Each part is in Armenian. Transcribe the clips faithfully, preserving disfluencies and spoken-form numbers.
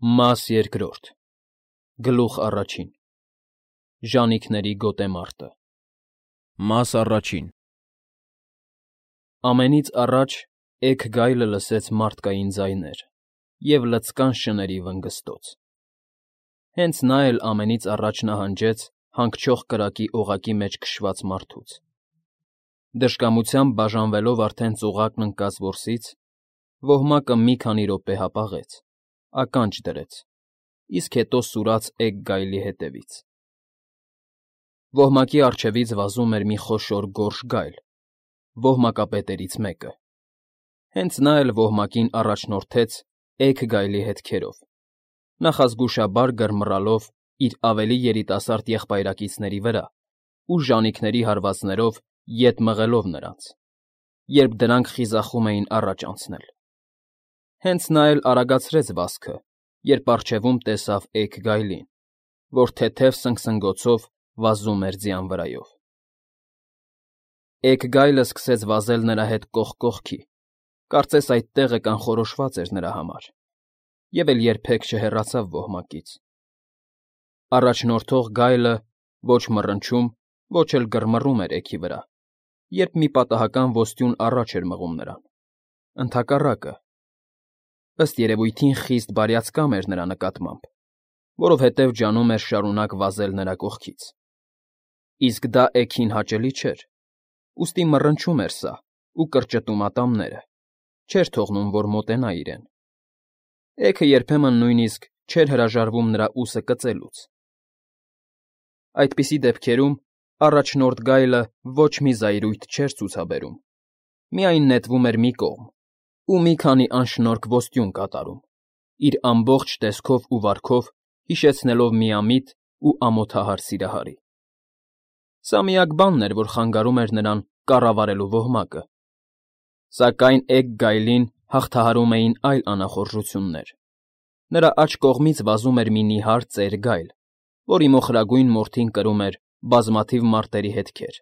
Մաս երկրորդ Գլուխ առաջին Ժանիքների գոտեմարտը Մաս առաջին Ամենից առաջ էգ գայլը լսեց մարդկային ձայներ և լծկան շների վնգստոց։ Հենց նա էլ ամենից առաջ նահանջեց հանգչող կրակի օղակի մեջ քշված մարդուց։ Դժկամությամբ բաժանվելով արդեն ծուղակն ընկած որսից, ոհմակը մի քանի րոպե հապաղեց, ականջ դրեց, իսկ հետո սուրաց էգ գայլի հետևից։ Ոհմակի առջևից վազում էր մի խոշոր գորշ գայլ, ոհմակապետերից մեկը։ Հենց նա էլ ոհմակին առաջնորդեց էգ գայլի հետքերով, նախազգուշաբար գրմռալով իր ավելի երիտասարդ եղբայրակիցների վրա ու ժանիքների հարվածներով ետ մղելով նրանց, երբ դրանք խիզախում էին առաջ անցնել։ Հենց նա էլ արագացրեց վազքը, երբ առջևում տեսավ էգ գայլին, որ թեթև սնգսնգոցով վազում էր ձյան վրայով։ Էգ գայլը սկսեց վազել նրա հետ կողք կողքի, կարծես այդ տեղը կանխորոշված էր նրա համար, և էլ երբեք չհեռացավ ոհմակից։ Առաջնորդող գայլը ոչ մռնչում, ոչ էլ գրմռում էր էգի վրա, երբ մի պատահական ոստյուն առաջ էր մղում նրան, ընդհակառակը, ըստ երևույթին խիստ բարյացկամ էր նրա նկատմամբ, որովհետև ջանում էր շարունակ վազել նրա կողքից։ Իսկ դա էգին հաճելի չէր, ուստի մռնչում էր սա ու կրճտում ատամները, չէր թողնում, որ մոտենա իրեն։ Էգը երբեմն նույնիսկ չէր հրաժարվում նրա ուսը կծելուց։ Այդպիսի դեպքերում առաջնորդ գայլը ոչ մի զայրույթ չէր ցուցաբերում, միայն նետվում էր մի կողմ ու մի քանի անշնորհք ոստյուն կատարում, իր ամբողջ տեսքով ու վարքով հիշեցնելով միամիտ ու ամոթահար սիրահարի։ Սա միակ բանն էր, որ խանգարում էր նրան կառավարելու ոհմակը։ Սակայն էգ գայլին հաղթահարում էին այլ անախորժություններ։ Նրա աջ կողմից վազում էր մի նիհար ծեր գայլ, որի մոխրագույն մորթին կրում էր բազմաթիվ մարտերի հետքեր։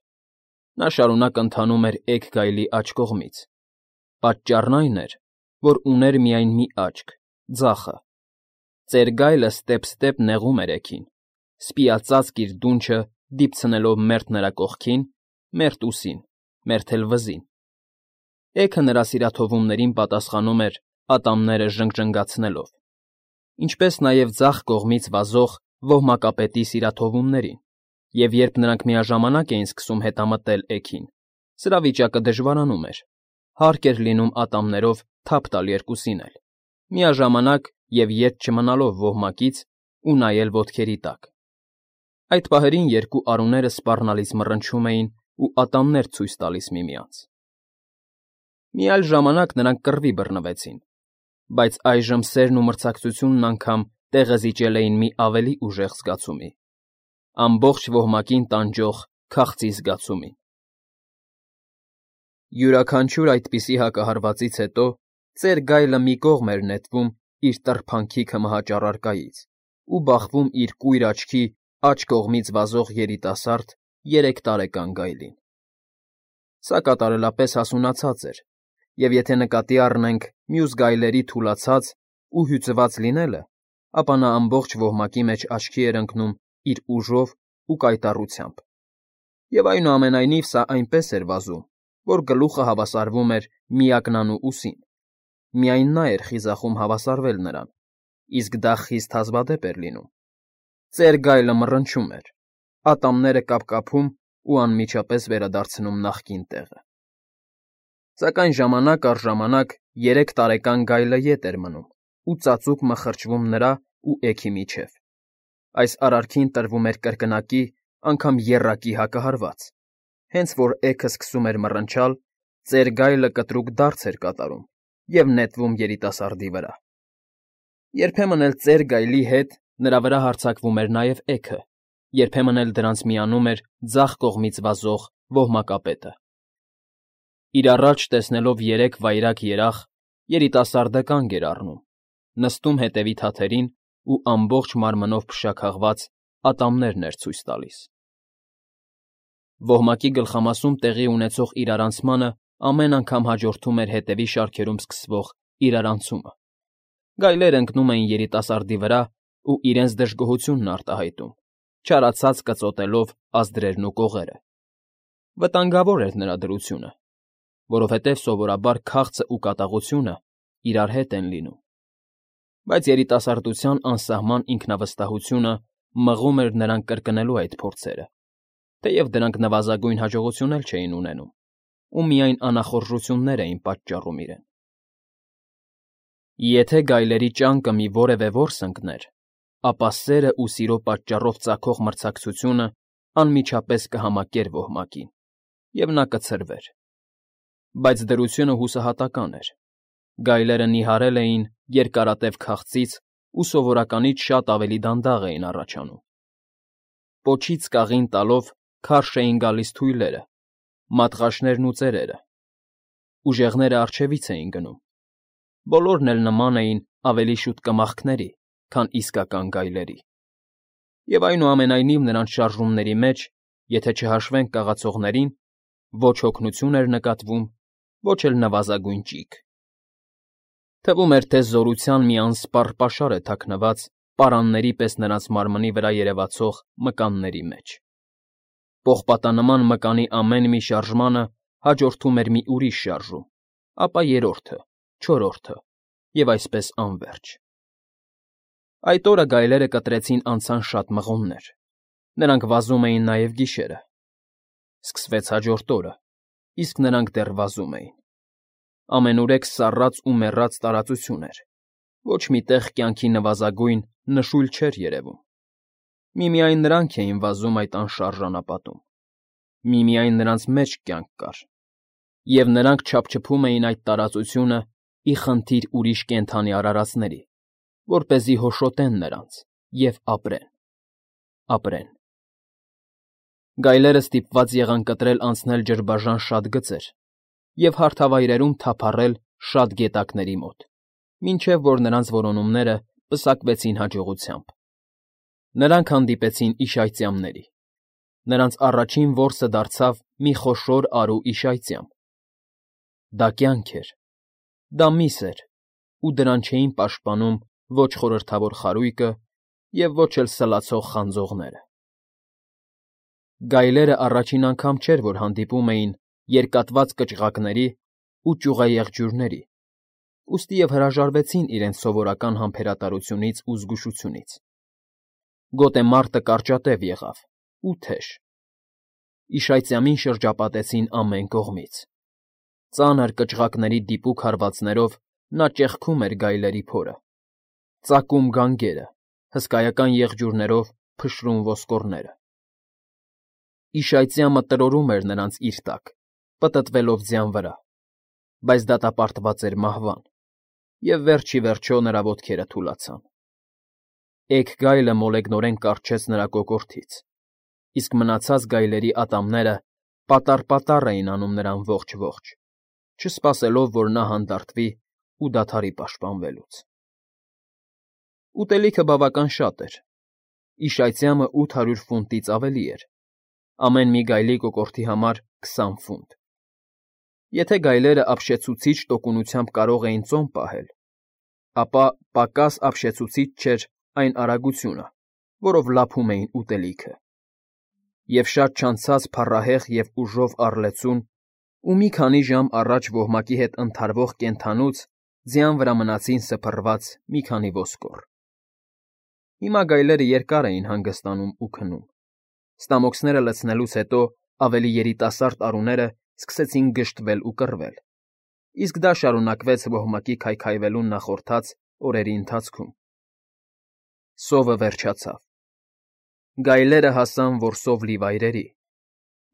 Նա շարունակ ընթանում էր էգ գայլի աջ կողմից։ Պատճառն այն էր, որ ուներ միայն մի աչք՝ ձախը։ Ծեր գայլը ստեպ֊ստեպ նեղում էր էգին, սպիածածկ իր դունչը դիպցնելով մերթ նրա կողքին, մերթ ուսին, մերթ էլ վզին։ Էգը նրա սիրաթովումներին պատասխանում էր ատամները ժնգժնգացնելով, ինչպես նաև ձախ կողմից վազող ոհմակապետի սիրաթովումներին, և երբ նրանք միաժամանակ էին սկսում հետամտել էգին, սրա վիճակը դժվարանում էր, հարկ էր լինում ատամներով թափ տալ երկուսին էլ, միաժամանակ և ետ չմնալով ոհմակից ու նայել ոտքերի տակ։ Այդ պահերին երկու արուները սպառնալից մռնչում էին ու ատամներ ցույց տալիս միմյանց։ Մի այլ ժամանակ նրանք կռվի բռնվեցին, բայց այժմ սերն ու մրցակցությունն անգամ տեղը զիջել էին մի ավելի ուժեղ զգացումի՝ ամբողջ ոհմակին տանջող քաղցի զգացումին։ Յուրաքանչյուր այդպիսի հակահարվածից հետո ծեր գայլը մի կողմ էր նետվում իր տրփանքի մահաճարարկայից ու բախվում իր կույր աչքի աջ կողմից վազող երիտասարդ երեք տարեկան գայլին։ Սա կատարելապես հասունացած էր, և եթե նկատի առնենք մյուս գայլերի թուլացած ու հյուծված լինելը, ապա նա ամբողջ ոհմակի մեջ աչքի էր ընկնում իր ուժով ու կայտառությամբ։ Եվ այնուամենայնիվ սա այնպես էր վազում, որ գլուխը հավասարվում էր միակնանու ուսին։ Միայն նա էր խիզախում հավասարվել նրան, իսկ դա խիստ հազվադեպ էր լինում։ Ծեր գայլը մռնչում էր, ատամները կապկապում ու անմիջապես վերադարձնում նախկին տեղը։ Սակայն ժամանակ առ ժամանակ երեք տարեկան գայլը ետ էր մնում ու ծածուկ մխրճվում նրա ու էգի միջև։ Այս արարքին տրվում էր կրկնակի, անգամ եռակի հակահարված։ Հենց որ էգը սկսում էր մռնչալ, ծեր գայլը կտրուկ դարձ էր կատարում և նետվում երիտասարդի վրա։ Երբեմն էլ ծեր գայլի հետ նրա վրա հարձակվում էր նաև էգը, երբեմն էլ դրանց միանում էր ձախ կողմից վազող ոհմակապետը։ Իր առաջ տեսնելով երեք վայրագ երախ, երիտասարդը կանգ էր առնում, նստում հետևի թաթերին ու ամբողջ մարմնով փշաքաղված ատամներն էր ցույց տալիս։ Ոհմակի գլխամասում տեղի ունեցող իրարանցմանը ամեն անգամ հաջորդում էր հետևի շարքերում սկսվող իրարանցումը, Գայլերը ընկնում էին երիտասարդի վրա ու իրենց դժգոհությունն արտահայտում, չարացած կծոտելով ազդրերն ու կողերը։ Վտանգավոր էր նրա դրությունը, որովհետև սովորաբար քաղցը ու կատաղությունը իրար հետ են լինում։ Բայց երիտասարդության անսահման ինքնավստահությունը մղում էր նրան կրկնելու այդ փորձերը, թեև դրանք նվազագույն հաջողություն էլ չէին ունենում, ու միայն անախորժություններ էին պատճառում իրեն։ Եթե գայլերի ճանկը մի որևէ որս ընկներ, ապա սերն ու սիրո պատճառով ծագող մրցակցությունը անմիջապես կհամակեր ոհմակին, և նա կցրվեր։ Բայց դրությունը հուսահատական էր։ Գայլերը նիհարել էին երկարատև քաղցից ու սովորականից շատ ավելի դանդաղ էին առաջանում։ Պոչից կաղին տալով քարշ էին գալիս թույլերը, մատղաշներն ու ծերերը։ Ուժեղները առջևից էին գնում։ Բոլորն էլ նման էին ավելի շուտ կմախքների, քան իսկական գայլերի։ Եվ այնուամենայնիվ նրանց շարժումների մեջ, եթե չհաշվենք կաղացողներին, ոչ հոգնություն էր նկատվում, ոչ էլ նվազագույն ճիգ։ Թվում էր, թե զորության մի անսպառ պաշար է թաքնված պարանների պես նրանց մարմնի վրա երևացող մկանների մեջ։ Պողպատանման մկանի ամեն մի շարժմանը հաջորդում էր մի ուրիշ շարժում, ապա երրորդը, չորրորդը և այսպես անվերջ։ Այդ օրը գայլերը կտրեցին անցան շատ մղոններ։ Նրանք վազում էին նաև գիշերը։ Սկսվեց հաջորդ օրը, իսկ նրանք դեռ վազում էին։ Ամենուրեք սառած ու մեռած տարածություն էր, ոչ մի տեղ կյանքի նվազագույն նշույլ չէր երևում։ Միմիայն նրանք էին վազում այդ անշարժ անապատում, միմիայն նրանց մեջ կյանք կար, և նրանք չափչփում էին այդ տարածությունը ի խնդիր ուրիշ կենդանի արարածների, որպեսզի հոշոտեն նրանց և ապրեն, ապրեն։ Գայլերը ստիպված եղան կտրել անցնել ջրբաժան շատ գծեր և հարթավայրերում թափառել շատ գետակների մոտ, մինչև որ նրանց որոնումները պսակվեցին հաջողությամբ։ Նրանք հանդիպեցին իշայծյամների։ Նրանց առաջին որսը դարձավ մի խոշոր արու իշայծյամ։ Դա կյանք էր, դա միս էր, ու դրան չէին պաշտպանում ոչ խորհրդավոր խարույկը և ոչ էլ սլացող խանձողները։ Գայլերը առաջին անգամ չէր, որ հանդիպում էին երկատված կճղակների ու ճյուղաեղջյուրների, ուստի և հրաժարվեցին իրենց սովորական համբերատարությունից ու զգուշությունից։ Գոտեմարտը կարճատև եղավ ու թեժ։ Իշայծյամին շրջապատեցին ամեն կողմից։ Ծանր կճղակների դիպուկ հարվածներով նա ճեղքում էր գայլերի փորը, ծակում գանգերը, հսկայական եղջյուրներով փշրում ոսկորները։ Իշայծյամը տրորում էր նրանց իր տակ, պտտվելով ձյան վրա, բայց դատապարտված էր մահվան, և վերջ ի վերջո նրա ոտքերը թուլացան։ Էգ գայլը մոլեգնորեն կառչեց նրա կոկորդից, իսկ մնացած գայլերի ատամները պատառ֊պատառ էին անում նրան ողջ֊ողջ, չսպասելով, որ նա հանդարտվի ու դադարի պաշտպանվելուց։ Ուտելիքը բավական շատ էր։ Իշայծյամը ութ հարյուր ֆունտից ավելի էր, ամեն մի գայլի կոկորդի համար քսան ֆունտ։ Եթե գայլերը ապշեցուցիչ տոկունությամբ կարող էին ծոմ պահել, ապա պակաս ապշեցուցիչ չէր այն արագությունը, որով լափում էին ուտելիքը։ Եվ շատ չանցած փառահեղ և ուժով առլեցուն ու մի քանի ժամ առաջ ոհմակի հետ ընդհարվող կենդանուց ձյան վրա մնացին սփռված մի քանի ոսկոր։ Հիմա գայլերը երկար էին հանգստանում ու քնում։ Ստամոքսները լցնելուց հետո ավելի երիտասարդ արուները սկսեցին գժտվել ու կռվել, իսկ դա շարունակվեց ոհմակի քայքայվելուն նախորդած օրերի ընթացքում։ Սովը վերջացավ։ Գայլերը հասան որսով լի վայրերի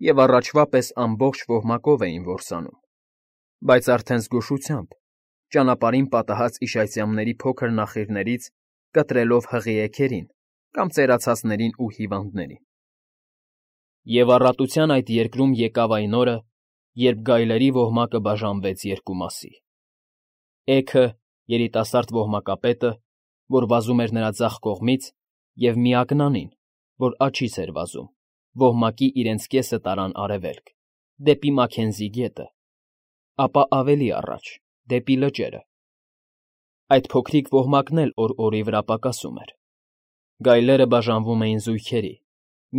և առաջվա պես ամբողջ ոհմակով էին որսանում, բայց արդեն զգուշությամբ, ճանապարհին պատահած իշայծյամների փոքր նախիրներից կտրելով հղի էգերին կամ ծերացածներին ու հիվանդներին։ Եվ առատության այդ երկրում եկավ այն օրը, երբ գայլերի ոհմակը բաժանվեց երկու մասի։ Էգը, երիտասարդ ոհմակապետը, որ վազում էր նրա ձախ կողմից, և միակնանին, որ աջից էր վազում, ոհմակի իրենց կեսը տարան արևելք, դեպի Մաքենզի գետը, ապա ավելի առաջ, դեպի լճերը։ Այդ փոքրիկ ոհմակն էլ օր֊օրի վրա պակասում էր։ Գայլերը բաժանվում էին զույգերի՝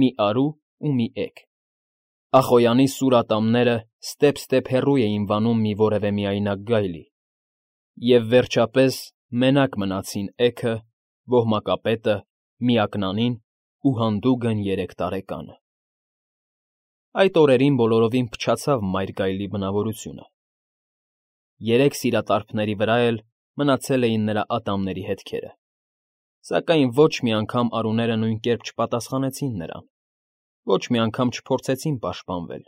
մի արու ու մի էգ։ Ախոյանի սուր ատամները ստեպ֊ստեպ հեռու էին վանում մի որևէ միայնակ գայլի, և, վերջապես, մենակ մնացին էգը, ոհմակապետը, միակնանին ու հանդուգն երեք տարեկանը։ Այդ օրերին բոլորովին փչացավ մայր գայլի բնավորությունը։ Երեք սիրատարբների վրա էլ մնացել էին նրա ատամների հետքերը, սակայն ոչ մի անգամ արուները նույն կերպ չպատասխանեցին նրան, ոչ մի անգամ չփորձեցին պաշտպանվել.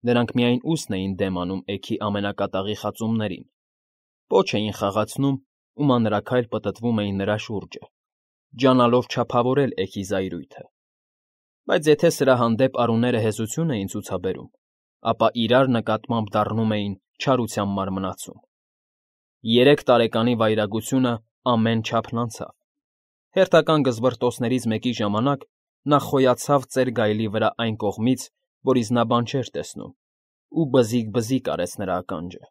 նրանք միայն ուսն էին դեմ անում էգի ամենակատաղի խածումներին, պոչ էին խաղացնում ու մանրաքայլ պտտվում էին նրա շուրջը, ջանալով չափավորել էգի զայրույթը, բայց եթե սրա հանդեպ արուները հեզություն էին ցուցաբերում, ապա իրար նկատմամբ դառնում էին չարության մարմնացում։ Երեք տարեկանի վայրագությունը ամեն չափն անցավ։ Հերթական գզվռտոցներից մեկի ժամանակ նա խոյացավ ծեր գայլի վրա այն կողմից, որից նա բան չէր տեսնում, ու բզիկ֊բզիկ արեց նրա ականջը։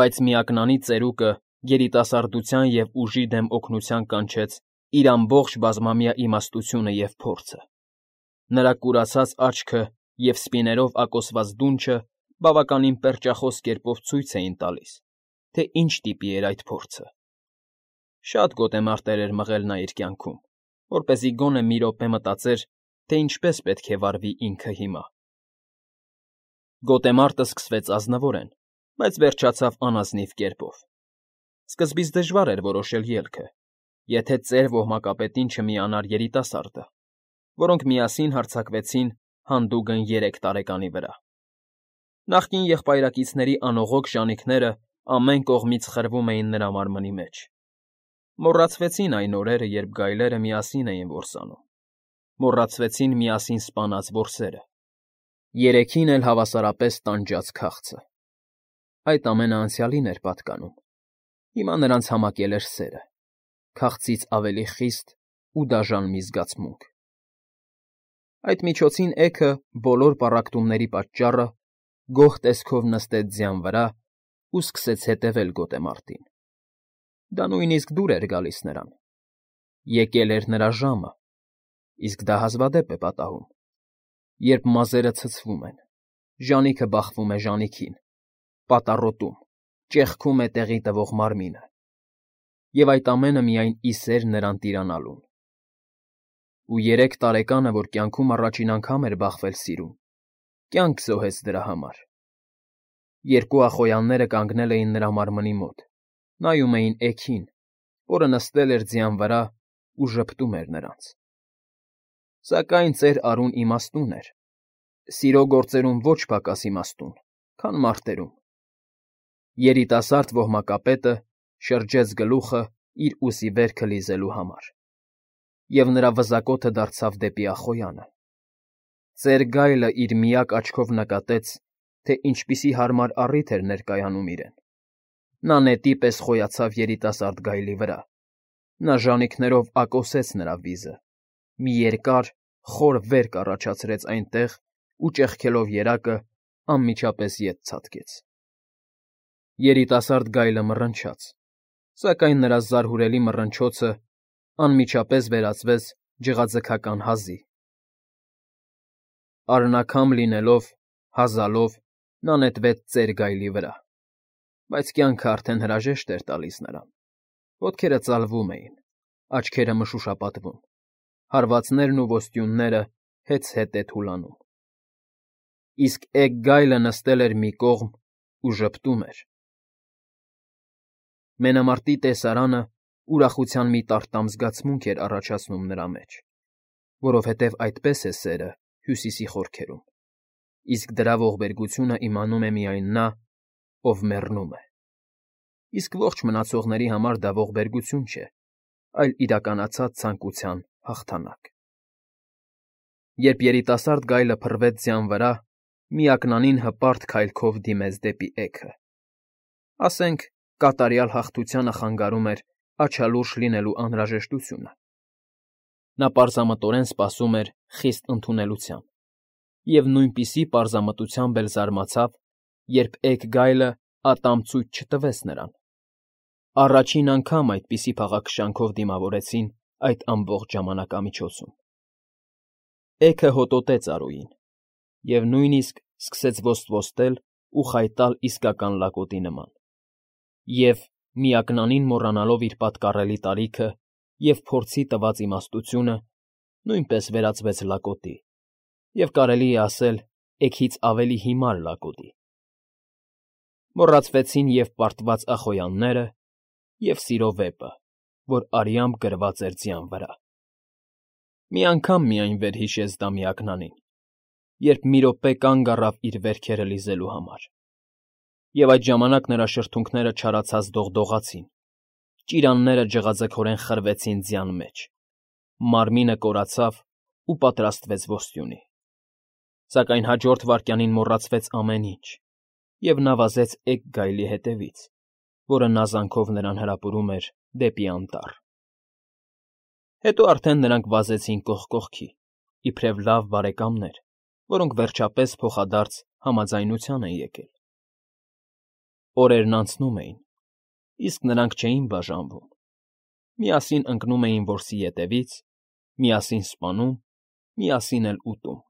Բայց միակնանի ծերուկը երիտասարդության և ուժի դեմ օգնության կանչեց իր ամբողջ բազմամյա իմաստությունը և փորձը։ Նրա կուրացած աչքը և սպիներով ակոսված դունչը բավականին պերճախոս կերպով ցույց էին տալիս, թե ինչ տիպի էր այդ փորձը։ Շատ գոտեմարտեր էր մղել նա իր կյանքում, որպեսզի գոնե մի րոպե մտածեր, թե ինչպես պետք է վարվի ինքը հիմա։ Գոտեմարտը սկսվեց ազնվորեն, բայց վերջացավ անազնիվ կերպով։ Սկզբից դժվար էր որոշել ելքը, եթե ծեր ոհմակապետին չմիանար երիտասարդը, որոնք միասին հարձակվեցին հանդուգն երեք տարեկանի վրա։ Նախկին եղբայրակիցների անողոք ժանիքները ամեն կողմից խրվում էին նրա մարմնի մեջ։ Մոռացվեցին այն օրերը, երբ գայլերը միասին էին որսանում, մոռացվեցին միասին սպանած որսերը, երեքին էլ հավասարապես տանջած քաղցը։ Այդ ամենը անցյալին էր պատկանում, հիմա նրանց համակել էր սերը, քաղցից ավելի խիստ ու դաժան մի զգացմունք։ Այդ միջոցին էգը, բոլոր պառակտումների պատճառը, գոհ տեսքով նստեց ձյան վրա ու սկսեց հետևել գոտեմարտին։ Դա նույնիսկ դուր էր գալիս նրան։ Եկել էր նրա ժամը, իսկ դա հազվադեպ է պատահում, երբ մազերը ցցվում են, ժանիքը բախվում է ժանիքին, պատառոտում, ճեղքում է տեղի տվող մարմինը, և այդ ամենը միայն ի սեր նրան տիրանալուն։ Ու երեք տարեկանը, որ կյանքում առաջին անգամ էր բախվել սիրուն, կյանք զոհեց դրա համար։ Երկու ախոյանները կանգնել էին նրա մարմնի մոտ, նայում էին էգին, որը նստել էր ձյան վրա ու ժպտում էր նրանց։ Սակայն ծեր արուն իմաստուն էր, սիրո գործերում ոչ պակաս իմաստուն, քան մարտերում։ Երիտասարդ ոհմակապետը շրջեց գլուխը իր ուսի վերքը լիզելու համար, և նրա վզակոթը դարձավ դեպի ախոյանը։ Ծեր գայլը իր միակ աչքով նկատեց, թե ինչպիսի հարմար առիթ էր ներկայանում իրեն։ Նա նետի պես խոյացավ երիտասարդ գայլի վրա, նա ժանիքներով ակոսեց նրա վիզը, մի երկար, խոր վերք առաջացրեց այնտեղ ու ճեղքելով երակը անմիջապես ետ ցատկեց։ Երիտասարդ գայլը մռնչաց, սակայն նրա զարհուրելի մռնչոցը անմիջապես վերածվեց ջղաձգական հազի։ Արնաքամ լինելով, հազալով, նա նետվեց ծեր գայլի վրա, բայց կյանքը արդեն հրաժեշտ էր տալիս նրան։ Ոտքերը ծալվում էին, աչքերը մշուշապատվում, հարվածներն ու ոստյունները հեծ֊հետե թուլանում։ Իսկ էգ գայլը նստել էր մի կողմ ու ժպտում էր։ Մենամարտի տեսարանը ուրախության մի տարտամ զգացմունք էր առաջացնում նրա մեջ, որովհետև այդպես է սերը Հյուսիսի խորքերում, իսկ դրա ողբերգությունը իմանում է միայն նա, ով մեռնում է։ Իսկ ողջ մնացողների համար դա ողբերգություն չէ, այլ իրականացած ցանկության հաղթանակ։ Երբ երիտասարդ գայլը փռվեց ձյան վրա, միակնանին հպարտ քայլքով դիմեց դեպի էգը։ Ասենք, կատարյալ հաղթությանը խանգարում էր աչալուրջ լինելու անհրաժեշտությունը։ Նա պարզամտորեն սպասում էր խիստ ընդունելության և նույնպիսի պարզամտությամբ էլ զարմացավ, երբ էգ գայլը ատամ ցույց չտվեց նրան։ Առաջին անգամ այդպիսի փաղաքշանքով դիմավորեցին այդ ամբողջ ժամանակամիջոցում։ Էգը հոտոտեց Արոյին և նույնիսկ սկսեց ոստվոստել ու խայտալ իսկական լակոտի նման, և, միակնանին մոռանալով իր պատկառելի տարիքը և փորձի տված իմաստությունը, նույնպես վերածվեց լակոտի և, կարելի է ասել, էգից ավելի հիմար լակոտի։ Մոռացվեցին և պարտված ախոյանները, և սիրո վեպը, որ արյամբ գրված էր ձյան վրա։ Մի անգամ միայն վերհիշեց դա միակնանին, երբ մի րոպե կանգ առավ իր վերքերը լիզելու համար, և այդ ժամանակ նրա շրթունքները չարացած դողդողացին, ճիրանները ջղաձգորեն խրվեցին ձյան մեջ, մարմինը կորացավ ու պատրաստվեց ոստյունի։ Սակայն հաջորդ վայրկյանին մոռացվեց ամեն ինչ, և նա վազեց էգ գայլի հետևից, որը նազանքով նրան հրապուրում էր դեպի անտառ։ Հետո արդեն նրանք վազեցին կողք կողքի, իբրև լավ բարեկամներ, որոնք, վերջապես, փոխադարձ համաձայնության են եկել։ Օրերն անցնում էին, իսկ նրանք չէին բաժանվում, միասին ընկնում էին որսի ետևից, միասին սպանում, միասին էլ ուտում։